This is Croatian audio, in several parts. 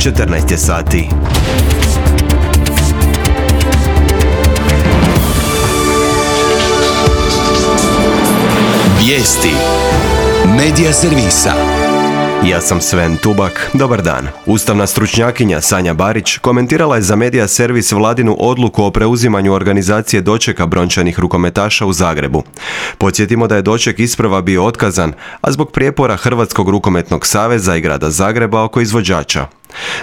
14 je sati. Vijesti Medija servisa. Ja sam Sven Tubak, dobar dan. Ustavna stručnjakinja Sanja Barić komentirala je za Medija servis vladinu odluku o preuzimanju organizacije dočeka brončanih rukometaša u Zagrebu. Podsjetimo da je doček isprva bio otkazan, a zbog prijepora Hrvatskog rukometnog saveza i grada Zagreba oko izvođača.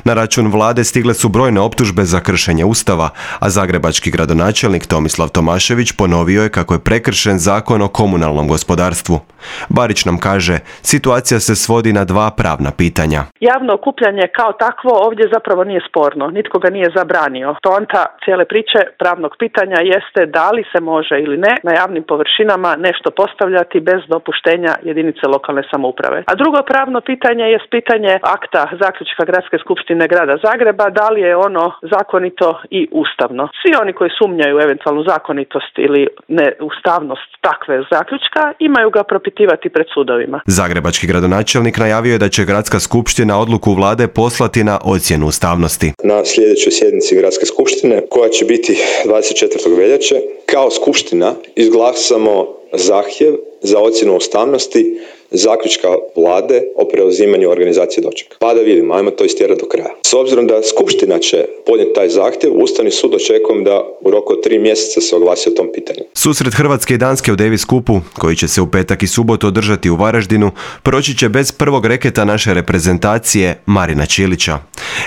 Na račun vlade stigle su brojne optužbe za kršenje Ustava, a zagrebački gradonačelnik Tomislav Tomašević ponovio je kako je prekršen zakon o komunalnom gospodarstvu. Barić nam kaže, situacija se svodi na dva pravna pitanja. Javno okupljanje kao takvo ovdje zapravo nije sporno, nitko ga nije zabranio. Poanta cijele priče pravnog pitanja jeste da li se može ili ne na javnim površinama nešto postavljati bez dopuštenja jedinice lokalne samouprave. A drugo pravno pitanje je pitanje akta zaključka Gradske skupštine grada Zagreba, da li je ono zakonito i ustavno. Svi oni koji sumnjaju eventualnu zakonitost ili neustavnost takve zaključka imaju ga propitivati pred sudovima. Zagrebački gradonačelnik najavio je da će Gradska skupština odluku vlade poslati na ocjenu ustavnosti. Na sljedećoj sjednici Gradske skupštine, koja će biti 24. veljače, kao skupština izglasamo zahtjev za ocjenu ustavnosti zaključka vlade o preuzimanju organizacije dočeka. Pa da vidimo, ajmo to istjerati do kraja. S obzirom da skupština će podnijeti taj zahtjev, Ustavni sud očekujem da u roku od 3 mjeseca se oglasi o tom pitanju. Susret Hrvatske i Danske u Davis Cupu, koji će se u petak i subotu održati u Varaždinu, proći će bez prvog reketa naše reprezentacije Marina Čilića.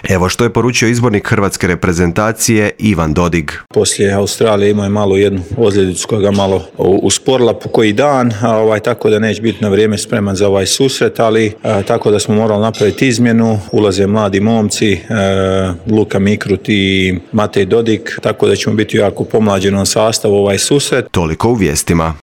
Evo što je poručio izbornik hrvatske reprezentacije Ivan Dodig. Poslije Australije imao je malo jednu ozljedicu koja ga malo usporila po koji dan, tako da neće biti na vrijeme spreman za ovaj susret, ali tako da smo morali napraviti izmjenu. Ulaze mladi momci, Luka Mikrut i Matej Dodik, tako da ćemo biti jako pomlađenom sastavu ovaj susret. Toliko u vijestima.